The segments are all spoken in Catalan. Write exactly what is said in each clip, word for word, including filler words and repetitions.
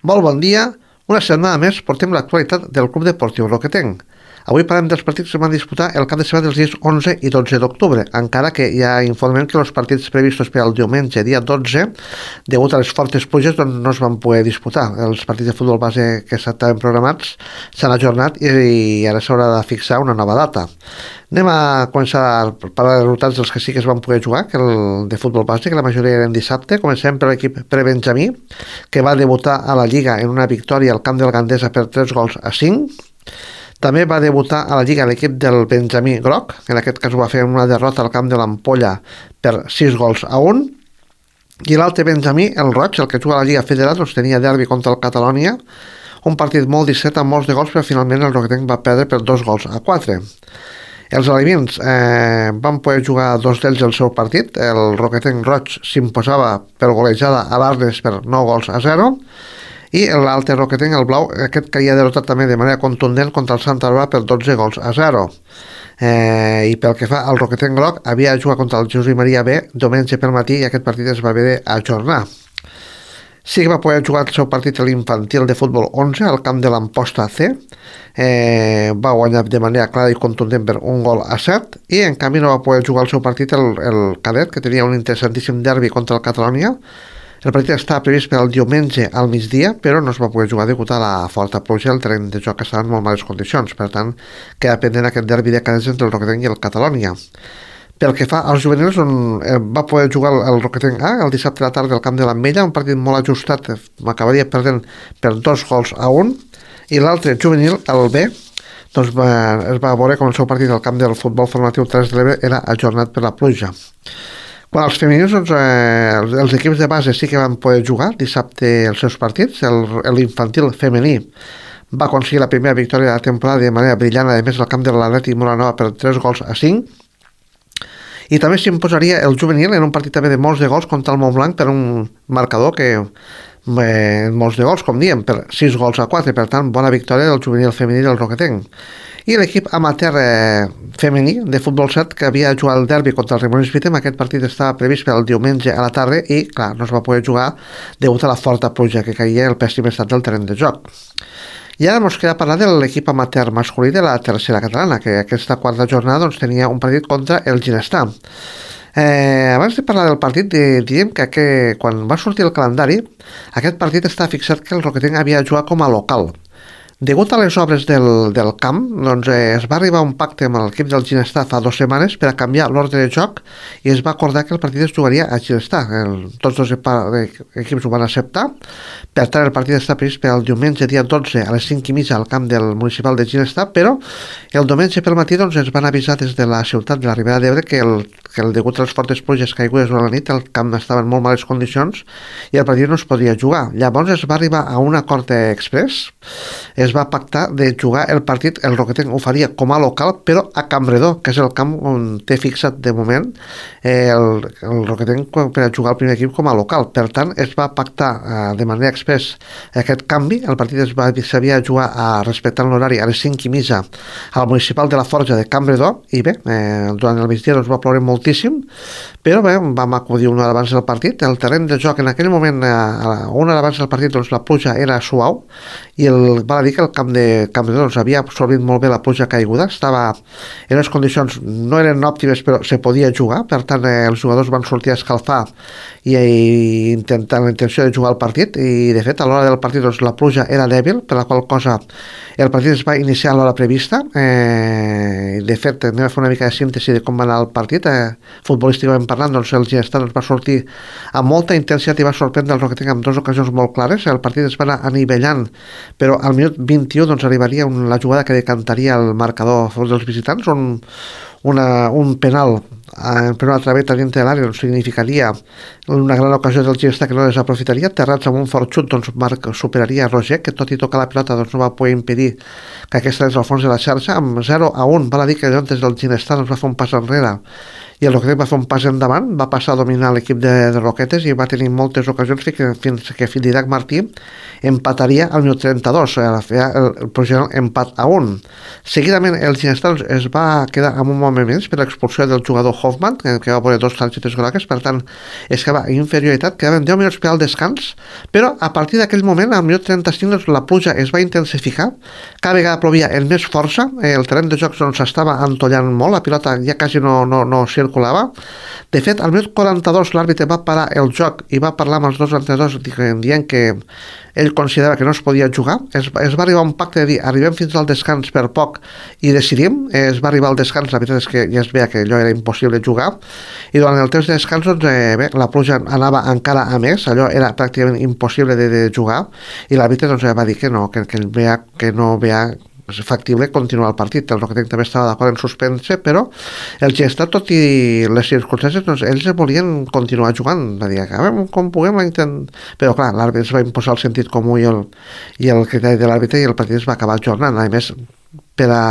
Molt bon dia. Una setmana més portem l'actualitat del Club Deportiu Roquetenc. Avui parlem dels partits que es van disputar el cap de setmana dels dies onze i dotze d'octubre, encara que ja informem que els partits previstos per al diumenge, dia dotze, degut a les fortes pluges, doncs no es van poder disputar. Els partits de futbol base que estaven programats s'han ajornat i, i ara s'haurà de fixar una nova data. Anem a començar a parlar de resultats dels que sí que es van poder jugar, que el de futbol base, que la majoria eren dissabte. Comencem per l'equip prebenjamí, que va debutar a la Lliga en una victòria al camp del Gandesa per tres gols a cinc. També va debutar a la Lliga l'equip del Benjamí Groc, que en aquest cas ho va fer en una derrota al camp de l'Ampolla per sis gols a un. I l'altre Benjamí, el Roig, el que juga a la Lliga Federal, doncs tenia derbi contra el Catalònia, un partit molt disset amb molts de gols, però finalment el Roquetenc va perdre per dos gols a quatre. Els alevins eh, van poder jugar dos d'ells el seu partit. El Roquetenc Roig s'imposava per golejada a l'Arnes per nou gols a zero, i l'altre Roquetenc, el blau, aquest caia derrotat també de manera contundent contra el Santa Bàrbara per dotze gols a zero. Eh, I pel que fa al Roquetenc Groc, havia de jugar contra el Jesús i Maria B diumenge pel matí i aquest partit es va haver d'ajornar. Sí que va poder jugar el seu partit a l'infantil de futbol onze al camp de l'Amposta C. Eh, va guanyar de manera clara i contundent per un gol a set, i en canvi no va poder jugar el seu partit el, el cadet, que tenia un interessantíssim derbi contra el Catalònia. El partit estava previst per al diumenge al migdia, però no es va poder jugar degut a la forta pluja i el terreny de joc estava en molt males condicions. Per tant, queda pendent aquest derbi de cadets entre el Roquetenc i el Catalònia. Pel que fa als juvenils, on eh, va poder jugar el, el Roquetenc A el dissabte a la tarda al camp de l'Ametlla, un partit molt ajustat, m'acabaria perdent per dos gols a un, i l'altre juvenil, el B, doncs va, es va veure com el seu partit al camp del futbol formatiu tres de l'Ebre era ajornat per la pluja. Quan els femenins, doncs, eh, els, els equips de base sí que van poder jugar dissabte els seus partits. L'infantil femení va aconseguir la primera victòria de la temporada de manera brillant, a més al camp de l'Atlètic Molanova per tres gols a cinc. I també s'imposaria el juvenil en un partit també de molts de gols contra el Montblanc per un marcador que eh, molts de gols, com diem, per sis gols a quatre. Per tant, bona victòria del juvenil femení del Roquetenc. I l'equip amateur eh, femení de futbol set, que havia jugat el derbi contra el Rimonis Vitem. Aquest partit estava previst per al diumenge a la tarda i, clar, no es va poder jugar degut a la forta pluja que caia i el pèssim estat del terreny de joc. I ara ens queda parlar de l'equip amateur masculí de la tercera catalana, que aquesta quarta jornada doncs, tenia un partit contra el Ginestar. Eh, abans de parlar del partit, eh, diríem que, que quan va sortir el calendari, aquest partit està fixat que el Roquetenc havia de jugar com a local. Degut a les obres del, del camp, doncs, eh, es va arribar a un pacte amb l'equip del Ginestar fa dues setmanes per a canviar l'ordre de joc i es va acordar que el partit es jugaria a Ginestar. El, tots dos equips ho van acceptar. Per tant, el partit està previst per al diumenge dia dotze a les cinc i mitja al camp del municipal de Ginestar, però el diumenge pel matí doncs, ens van avisar des de la ciutat de la Ribera d'Ebre que, el, que el, degut a les fortes pluges caigudes durant la nit el camp estava en molt males condicions i el partit no es podia jugar. Llavors es va arribar a un acord express. Es va pactar de jugar el partit, el Roquetenc ho faria com a local, però a Campredó, que és el camp on té fixat de moment eh, el, el Roquetenc per a jugar el primer equip com a local. Per tant, es va pactar eh, de manera express aquest canvi. El partit es va s'havia de jugar a respectar l'horari a les cinc i mitja al municipal de la Forja de Campredó i bé, eh, durant el migdia doncs, va ploure moltíssim, però bé, vam acudir una hora abans del partit. El terreny de joc en aquell moment, eh, una hora abans del partit, doncs, la pluja era suau i el, val a dir que el camp de Campredó doncs, havia absorbit molt bé la pluja caiguda, estava en les condicions, no eren òptimes però se podia jugar, per tant eh, els jugadors van sortir a escalfar i, i intentant la intenció de jugar el partit i de fet a l'hora del partit doncs, la pluja era dèbil, per la qual cosa el partit es va iniciar a l'hora prevista. Eh, de fet anem a fer una mica de síntesi de com va anar el partit. eh, futbolísticament parlant doncs, el Ginestar doncs, va sortir amb molta intensitat i va sorprendre el Roquetenc en dues ocasions molt clares. El partit es va anar anivellant, però al minut vint-i-u doncs, arribaria un, la jugada que decantaria el marcador a favor dels visitants, on una, un penal en per una traveta dintre de l'àrea doncs, significaria una gran ocasió del Ginestar que no desaprofitaria. Terrats amb un fort xut doncs, Marc superaria Roger, que tot i tocar la pilota doncs, no va poder impedir que aquesta és al fons de la xarxa. Amb zero a un val a dir que des del Ginestar doncs, va fer un pas enrere i el Roquetes va fer un pas endavant, va passar a dominar l'equip de, de Roquetes i va tenir moltes ocasions fins que, fins que Didac Martí empataria al minut trenta-dos, el, el, el projecte empat a un. Seguidament el Ginestar es va quedar amb un moment més per l'expulsió del jugador Hoffman, que, que va poder dos targetes grogues, per tant es quedava inferioritat, quedaven deu minuts per al descans, però a partir d'aquell moment, al minut trenta-cinc, doncs, la pluja es va intensificar, cada vegada plovia amb més força, el terreny de jocs doncs, s'estava entollant molt, la pilota ja quasi no, no, no circulava. De fet, al minut quaranta-dos l'àrbitre va parar el joc i va parlar amb els dos entrenadors dient que ell considerava que no es podia jugar. Es, es va arribar a un pacte de dir arribem fins al descans per poc i decidim. Es va arribar al descans, la veritat és que ja es veia que allò era impossible jugar, i durant el temps de descans doncs, eh, bé, la pluja anava encara a més, allò era pràcticament impossible de, de jugar, i l'àrbitre doncs, va dir que no, que, que, veia, que no veia factible continuar el partit. El Roquetenc també estava d'acord en suspendre, però el Ginestar, tot i les circumstàncies, doncs, ells volien continuar jugant. Va dir, acabem com puguem, intent... però clar, l'àrbitre es va imposar el sentit comú i el, i el criteri de l'àrbitre, i el partit es va acabar jornant. A més, per a...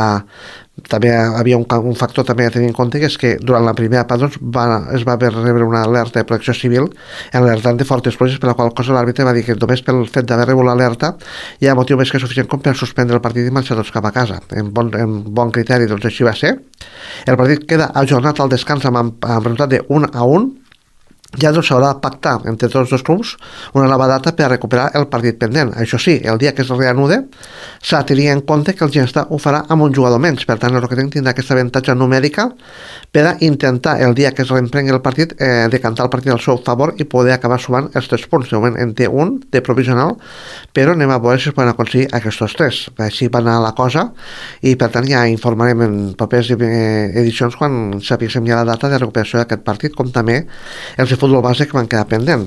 també havia un, un factor també a tenir en compte, que és que durant la primera part doncs, va, es va rebre una alerta de protecció civil alertant de fortes pluges, per la qual cosa l'àrbitre va dir que només pel fet d'haver rebut l'alerta hi ha motiu més que suficient com per suspendre el partit i marxar tots cap a casa. En bon, en bon criteri, doncs així va ser. El partit queda ajornat al descans amb, amb resultat de un a un. Ja doncs s'haurà de pactar entre tots els dos clubs una nova data per a recuperar el partit pendent. Això sí, el dia que es reanude s'ha de tenir en compte que el Ginestar ho farà amb un jugador menys, per tant el Roquetenc tindrà aquesta avantatge numèrica per a intentar el dia que es reemprengui el partit eh, decantar el partit al seu favor i poder acabar sumant els tres punts. De moment en té un de provisional, però anem a veure si es poden aconseguir aquests tres. Així va anar la cosa, i per tant ja informarem en properes edicions quan sapiguem ja la data de recuperació d'aquest partit, com també els de futbol base que van quedar pendent.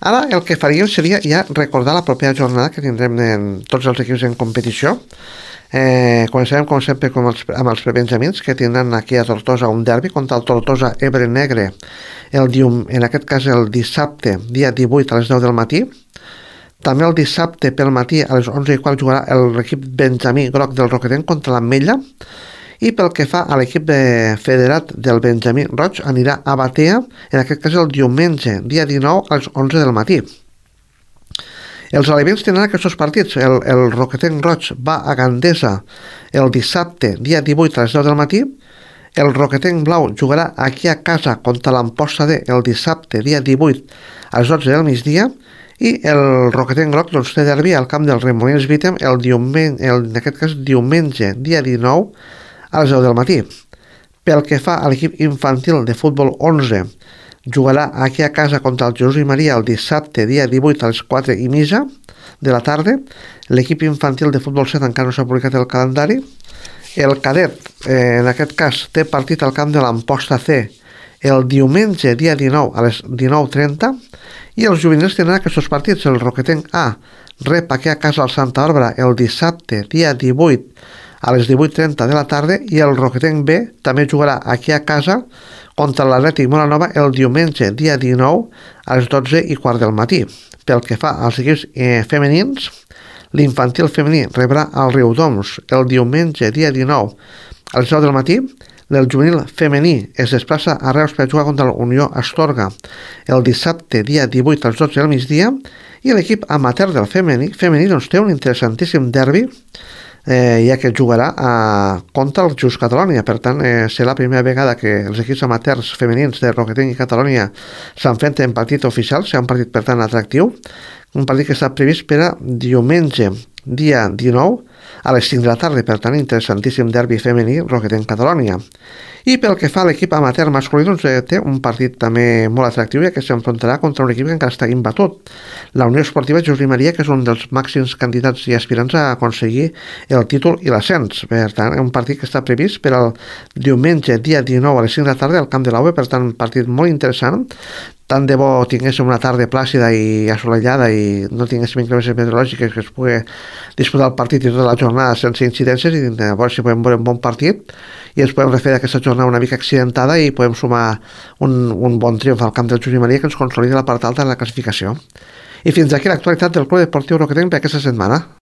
Ara el que faríem seria ja recordar la propera jornada que tindrem en tots els equips en competició. Eh, començarem com sempre com els, amb els prebenjamins, que tindran aquí a Tortosa un derbi contra el Tortosa Ebre Negre el dium, en aquest cas el dissabte dia divuit a les deu del matí. També el dissabte pel matí a les onze i quart jugarà l'equip benjamí groc del Roquetenc contra l'Ametlla. I pel que fa a l'equip de federat del Benjamí Roig, anirà a Batea, en aquest cas el diumenge, dia dinou, a les onze del matí. Els alevins tindran aquests partits. El, el Roquetenc Roig va a Gandesa el dissabte, dia divuit, a les deu del matí. El Roquetenc Blau jugarà aquí a casa contra l'Amposta D el dissabte, dia divuit, a les dotze del migdia. I el Roquetenc Groc doncs, té derbi al camp del Remolins Vítem el diumenge, el, en aquest cas diumenge, dia dinou, a les deu del matí. Pel que fa a l'equip infantil de futbol onze, jugarà aquí a casa contra el Jesús i Maria el dissabte, dia divuit, a les quatre i mitja de la tarda. L'equip infantil de futbol set encara no s'ha publicat el calendari. El cadet, eh, en aquest cas, té partit al camp de l'Amposta C el diumenge, dia dinou, a les dinou trenta, i els juvenils tindran aquests partits. El Roquetenc A rep aquí a casa al Santa Bàrbara el dissabte, dia divuit, a les divuit trenta de la tarda, i el Roquetenc B també jugarà aquí a casa contra l'Atlètic Molanova el diumenge, dia dinou, a les dotze i quart del matí. Pel que fa als equips eh, femenins, l'infantil femení rebrà el Riudoms el diumenge, dia dinou, a les deu del matí. El juvenil femení es desplaça a Reus per jugar contra la Unió Astorga el dissabte, dia divuit, a les dotze del migdia, i l'equip amateur del femení, femení doncs, té un interessantíssim derbi, eh, ja que jugarà a, contra el Just Catalonia. Per tant, eh, serà la primera vegada que els equips amateurs femenins de Roquetenc i Catalonia s'enfronten en partit oficial, serà un partit per tant atractiu, un partit que està previst per a diumenge, dia dinou, a les cinc de la tarda. Per tant, interessantíssim derbi femení Roquetenc-Catalonia. I pel que fa a l'equip amateur masculí, doncs, eh, té un partit també molt atractiu, ja que s'enfrontarà contra un equip que encara està imbatut, la Unió Esportiva Jesús i Maria, que és un dels màxims candidats i aspirants a aconseguir el títol i l'ascens. Per tant, un partit que està previst per al diumenge, dia dinou, a les cinc de la tarda, al camp de l'A U E. Per tant, un partit molt interessant. Tant de bo tinguéssim una tarda plàcida i assolellada i no tinguéssim inclemències meteorològiques, que es pugui disputar el partit i tota la jornada sense incidències, i a veure si podem veure un bon partit i ens podem refer d'aquesta jornada una mica accidentada i podem sumar un, un bon triomf al camp del Jesús i Maria, que ens consolida la part alta de la classificació. I fins aquí l'actualitat del Club Deportiu Roquetenc per aquesta setmana.